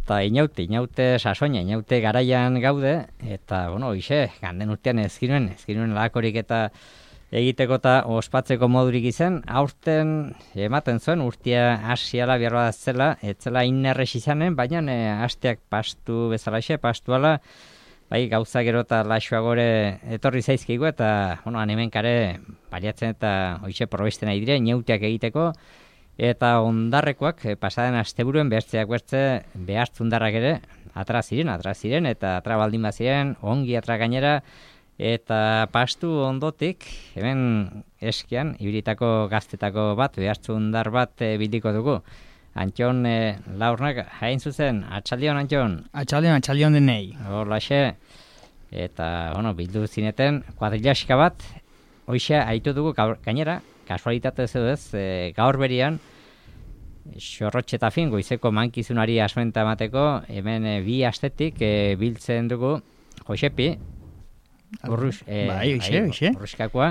Eta inaute sasoina, inaute garaian gaude, eta, bueno, hoxe, ganden urtean ezkinuen lakorik eta egiteko eta ospatzeko modurik izen, aurten ematen zuen urtea hasiala behar zela, etzela inerrez izanen, baina hasteak pastu bezalaxe, pastuala, bai, gauza gero eta laxuagore etorri zaizkigu, eta, bueno, animenkare baliatzen eta hoxe probestena idire, inauteak egiteko, eta ondarrekoak pasaden asteburuen behartzeak behartzundarrak ere atra ziren, eta atra baldin baziren, ongi atra gainera, eta pastu ondotik, hemen eskian, ibilitako gaztetako bat, behartzundar bat bildiko dugu. Antxon, laurnak, hain zuzen, atxaldion, Antxon? Atxaldion denei. Horlaxe, eta, bueno, bildu zineten, kuadrilaxka bat, hoxe, haitu dugu gainera, kasualitate edo ez, gaur berian, xorrotxe eta fin, goizeko mankizunari asmenta emateko, hemen bi astetik biltzen dugu, Josepi, urruskakoa,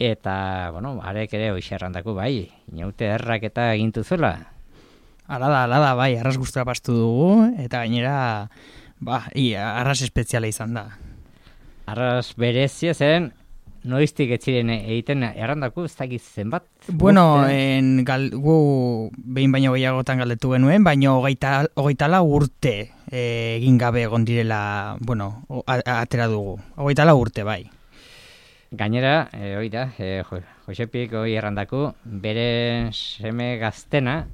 eta, bueno, arek ere hoxe errandako, bai, inaute errak eta egintu zuela. Ala da, bai, arras guztura pastu dugu, eta gainera, arras espeziala izan da. Arras berezia zen, noiztik etziren egiten errandako, ez dakiz zenbat? Bueno, gu behin baino gehiagotan galdetu genuen, baino hogeitala urte egin gabe egon direla, bueno, atera dugu. Hogeitala urte, bai. Gainera, Josepik hoi errandako, bere seme gaztena,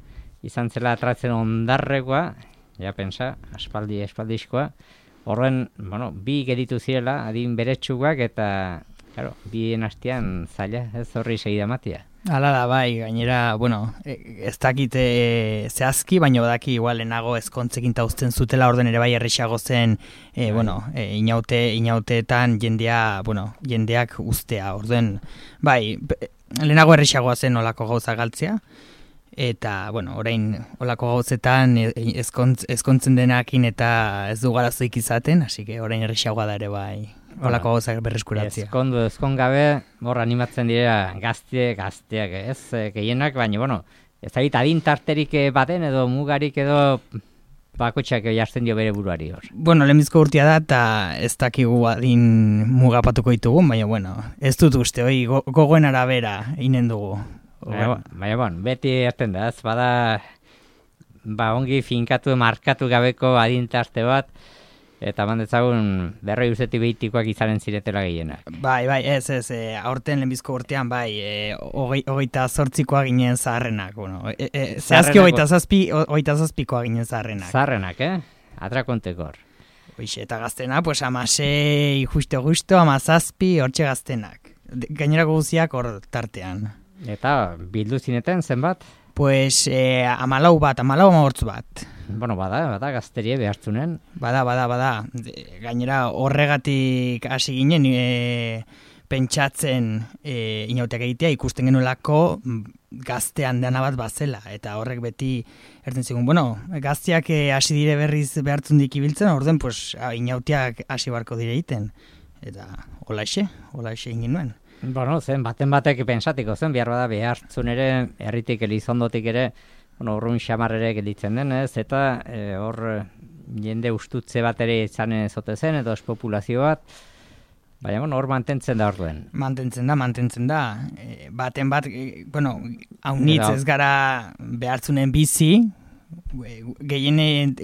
izan zela atratzen ondarrekoa, ja pensa, aspaldizkoa, horren, bueno, bi geditu zirela, adin beretsuak, eta, claro, bien hastian zaila, ez horri segida matia. Hala da, bai, gainera, bueno, ez dakite zehazki, baina badaki igual lehenago ezkontzekin tauzten zutela, orden ere bai errexago zen, inauteetan jendeak ustea, orden, bai, lehenago errexagoa zen olako gauza galtzea, eta, bueno, orain olako gauzetan ezkontzen denakin eta ez du garazoik izaten, hasi que orain errexagoa da ere bai. Olako gauzak berreskuratzea. Ezkongabe, hor animatzen dira gazteak, ez gehienak, baina, bueno, ez da adin tarterik baten edo mugarik edo bakotxak jartzen dio bere buruari hor. Bueno, lehenbizko urtea da, eta ez dakigu adin mugapatuko ditugun, baina, bueno, ez dut uste, gogoen arabera inen dugu. Baina, beti erten da, ez bada, ongi finkatu, markatu gabeko adin tarte bat, eta mandetzagun berroi urtetik behitikoak izanen ziretela gehienak. Bai, ez, aurten lehenbizko urtean, hogeita zortzikoa ginen zaharrenak. Bueno, zehazki hogeita zazpikoa ginen zaharrenak. Zaharrenak, atrakontekor. Hoixe, eta gaztena, pues amasei justo, amazazpi, hortxe gaztenak. Gainerako guziak hor tartean. Eta bildu zineten, zenbat? Pues amalau amahortz bat. Bueno, bada, gazterie behartzunen. Bada. Gainera horregatik hasi ginen pentsatzen inauteak egitea, ikusten genuelako gaztean dena bat bazela. Eta horrek beti erten zigun, bueno, gazteak hasi dire berriz behartzundik ibiltzen, orden, pues, inauteak hasi barko dire egiten. Eta holaxe egin nuen. Bueno, baten batek pensatiko zen, behar bada behartzun ere, herritik elizondotik ere, urrun xamar ere gelditzen denez, eta hor jende ustutze bat ere izan zote zen, edo espopulazio bat, baina hor mantentzen da orduen. Mantentzen da. Baten bat, haunitz ez gara behartzunen bizi, gehienen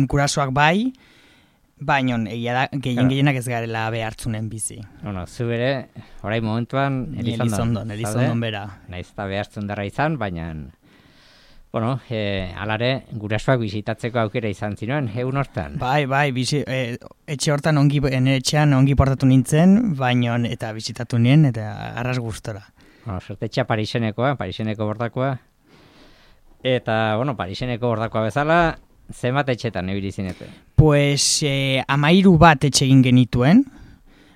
kurasoak bai, baina gehienak ez garela behartzunen bizi. Bueno, zu bere, orain momentuan, Elizondon bera. Naiz eta behartzun darra izan, baina, bueno, alare, gurasoak bisitatzeko aukera izan zinuen, egun hortan. Bai, etxe hortan etxean ongi portatu nintzen, baina eta bisitatu nien, eta arras gustora. Bueno, sortetxea Pariseneko bordakoa, eta, bueno, Pariseneko bordakoa bezala, zenbat etxetan ebili zinete? Pues 13 bat etxe egin genituen,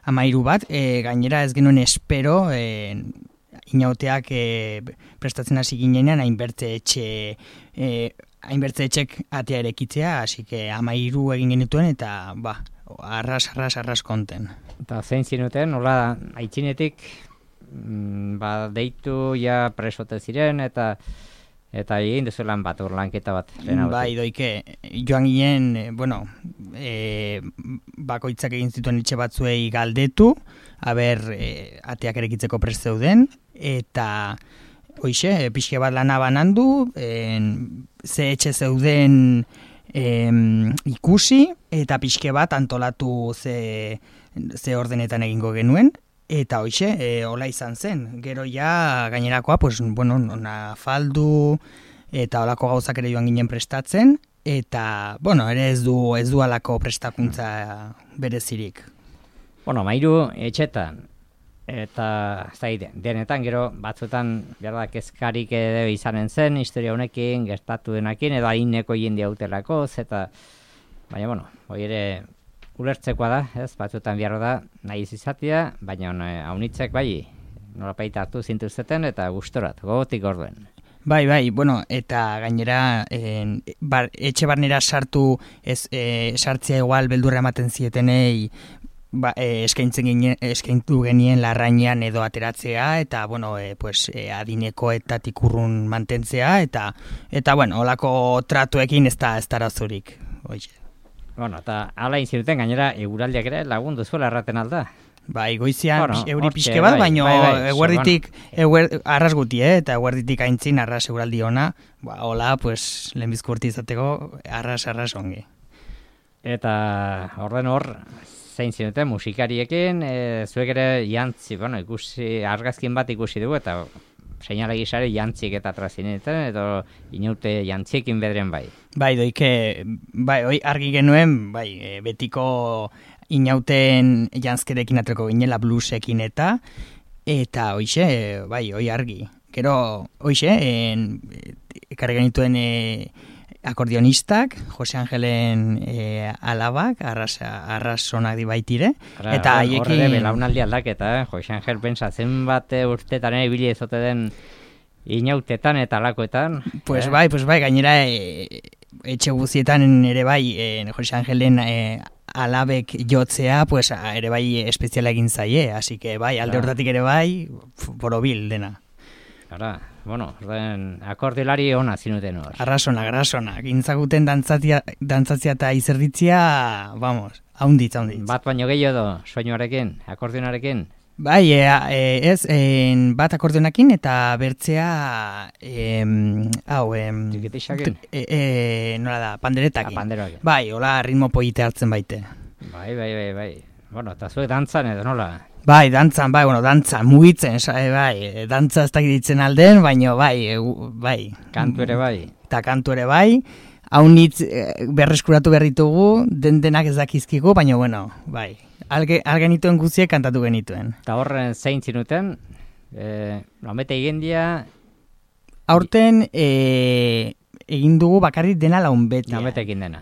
13 bat, gainera ez genuen espero, inauteak prestatzen hasi ginenean hainbertze etxek atea erekitzea, hasi que 13 egin genituen eta arras konten. Eta zein zinuten, hola, aitzinetik, deitu ja presote ziren eta Eta egin duzu lan bat, lanketa bat. Bai, doike, joan ginen, bakoitzak egin zituen etxe batzuei galdetu, ateak erekitzeko prest zeuden, eta hoixe, pixke bat lana banandu, ze etxe zeuden ikusi, eta pixke bat antolatu ze ordenetan egingo genuen, eta hoixe, hola izan zen. Gero ja gainerakoa, pues, bueno, faldu, eta holako gauzak ere joan ginen prestatzen, eta, bueno, ere ez du alako prestakuntza berezirik. Bueno, 13 etxetan, eta denetan, gero batzuetan, behar da, kezkarik edo izanen zen, historia honekin, gertatu denakin, edo haineko jende hautelako, eta, baina, bueno, hori ere ulertzekoa da, ez, batzuetan behar da, nahi izatea, baina haunitzek bai, nolapaita hartu zintuzeten, eta gustorat, gogotik orduen. Bai, bueno, eta gainera etxe barnera sartzea igual beldurra ematen zietenei eskaintu genien larrainean edo ateratzea, eta, bueno, adinekoetatik urrun mantentzea, eta bueno, holako tratuekin ez da arazorik. Bueno, eta ala inzinuten gainera eguraldiak ere lagundu zuela erraten alda. Bai, goizian euri pixke bat, baina eguerditik arras guti, eta eguerditik aintzin arras eguraldi ona, hola, pues, lehenbizko urti izateko arras ongi. Eta orden hor, zein zinuten musikariekin, zuek ere jantzi, bueno, argazkin bat ikusi dugu, eta seinale gisare jantzik eta trazinetan, edo inaute jantziekin bedren bai. Bai, doike, bai, argi genuen, bai, betiko inauten jantzkerekin atreko ginela bluesekin eta hoixe, bai, hoi argi. Gero, hoixe, ekarri genituen akordionistak, Jose Angelen alabak, arrasonak dibaitire. Eta haiekin... Horre belaunaldi aldaketa, Jose Angel pensa zenbat urtetan ibili ezote den inautetan eta alakoetan. Pues bai, gainera etxe guzietan ere bai, Jose Angelen alabek jotzea, pues ere bai espeziala egin zaie, así que bai, alde hortatik ere bai, borobil dena. Ara, bueno, akordiolari ona zinuten hor. Arrasona, gintzakuten dantzatzia eta izerditzia, vamos, haunditz. Bat baino gehiago soinuarekin, akordionarekin? Bai, bat akordionakin eta bertzea, Txikitixakin? Nola da, panderetakin. Panderoakin. Bai, hola ritmo polite hartzen baite. Bai. Bueno, eta zuek dantzan edo nola? Bai, dantzan, mugitzen, bai, dantza ez dakitzen alden, baina bai. Kantu ere bai. Eta kantu ere bai, haunitz berreskuratu berritugu, denak ez dakizkigu, baina bueno, bai. Algenituen guziek kantatu genituen. Eta horren zein zinuten, nomete egindia... Aurten egin dugu bakarrik dena launbetea. Nomete egin dena.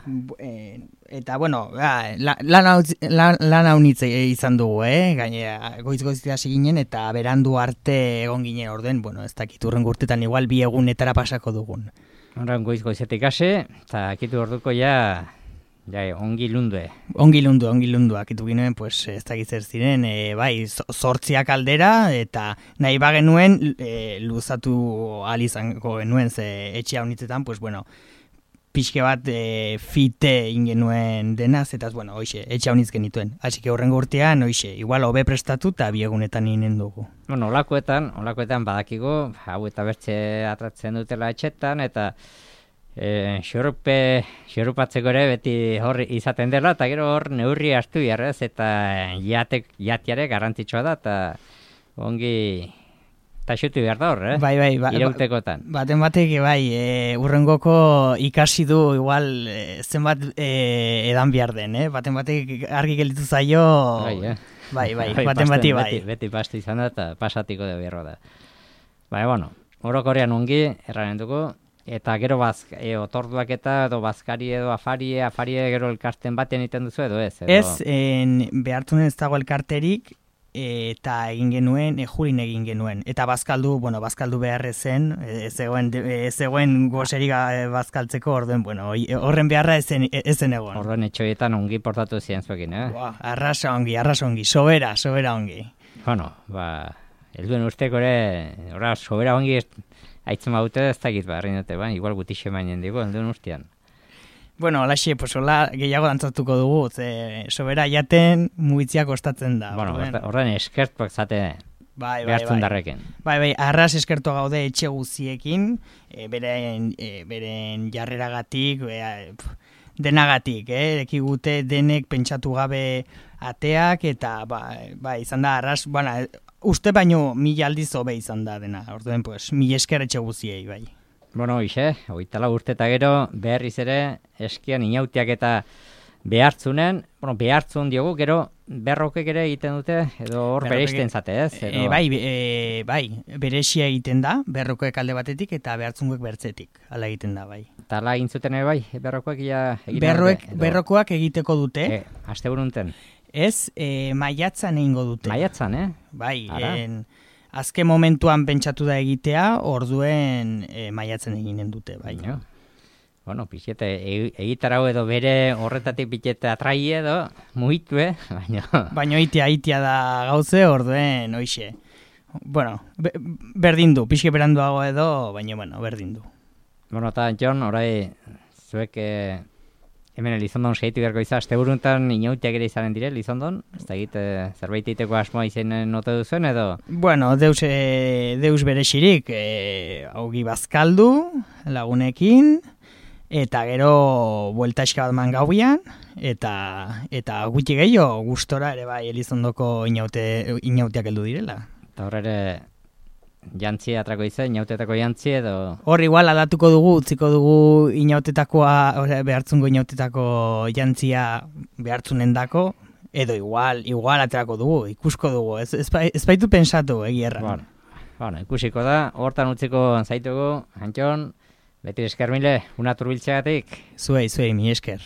Eta, bueno, lan haunitz izan dugu, gainera, goiz-goiztia hasi ginen, eta berandu arte egon ginen orden, bueno, ez dakit urren gurtetan igual 2 egunetara pasako dugun. Horren goiz-goizetik hasi, eta akitu orduko ja ongi lundue. Ongi lundu, akitu ginen, pues, ez dakit zer ziren, bai, 8 aldera, eta nahi bagenuen luzatu alizango genuen, ze etxe haunitzetan, pues, bueno, pixke bat fite ingenuen denaz, eta, bueno, hoixe, etxe haunitz genituen. Así que horrengo urtean, hoixe, igual hobe prestatu eta 2 egunetan inen dugu. Bueno, olakoetan badakigu, hau eta bertxe atratzen dutela etxetan, eta xorupatzeko ere beti hor izaten dela, eta gero hor neurri hartu jarrez, eta jatiare garrantzitsua da, eta ongi taxutu behar da hor, Bai, irautekotan. Baten batek, bai, urrengoko ikasi du igual zenbat edan behar den, baten batek argi gelditu zaio, bai, baten bati bai. Beti pasti izan da, eta pasatiko da behar da. Bai, bueno, orokorrean ongi, erraren dugu, eta gero otorduak eta edo bazkari edo afarie gero elkarten batean egiten duzu edo ez? Ez, behartunen ez dago elkarterik, eta egin genuen, jurin egin genuen. Eta bazkaldu behar ezen, ez zegoen gozerik bazkaltzeko, orduen, bueno, horren beharra ezen egon. Orduen etxoietan ongi portatu ziren zuekin, Arrasa ongi, sobera ongi. Bueno, helduen usteko ere, sobera ongi aitzen baute ez dakit barri dute, igual gutixe mainen digo, enduen urtean. Bueno, alaxe, pues hola, gehiago dantzatuko dugu, sobera jaten mugitzia kostatzen da. Bueno, horren eskertuak zate behartzun darreken. Bai, arras eskertua gaude etxe guziekin, beren jarreragatik, denagatik, ekigute denek pentsatu gabe ateak, eta izan da arras, uste baino 1000 aldiz hobe izan da dena, orduen, pues, 1000 esker etxe guziei, bai. Bueno, hoxe, 24 urte eta gero, berriz ere, eskian inautiak eta behartzunen, behartzun diogu, gero berrokek ere egiten dute, edo hor bereizten zate, ez? Bai, beresia egiten da, berrokoek alde batetik eta behartzunguek bertzetik, ala egiten da, bai. Eta ala egin zuten ere bai, berrokoek egiten dute? Berrokoak egiteko dute. Aste burunten? Ez, maiatzan egingo dute. Maiatzan, Bai, azken momentuan pentsatu da egitea, orduen maiatzen eginen dute, bai. Bueno, pixete, egitarau edo bere horretatik pixete atrai edo, mugitu, Baina itia da gauze, orduen, oixe. Bueno, berdin du, pixke beranduago edo, baina, berdin du. Bueno, eta, Jon, orai, zuek hemen Elizondon segitu beharko izan, aste buruntan inautiak ere izanen dire, Elizondon? Ez da egite, zerbait iteko asmoa izenen note duzuen, edo? Bueno, deus bere xirik, augi bazkaldu, lagunekin, eta gero buelta eska bat man gauian, eta gutxi gehiago gustora ere bai Elizondoko inautiak heldu direla. Eta hor ere jantzi atrako izan, inautetako jantzi edo? Hor igual aldatuko dugu, utziko dugu behartzungo inautetako jantzia behartzunendako, edo igual aterako dugu, ikusko dugu, ez baitu pensatu egierra. Bueno, ikusiko da, hortan utziko zaitugu, Antxon, beti esker mile, una turbiltzeagatik. Zuei, mi esker.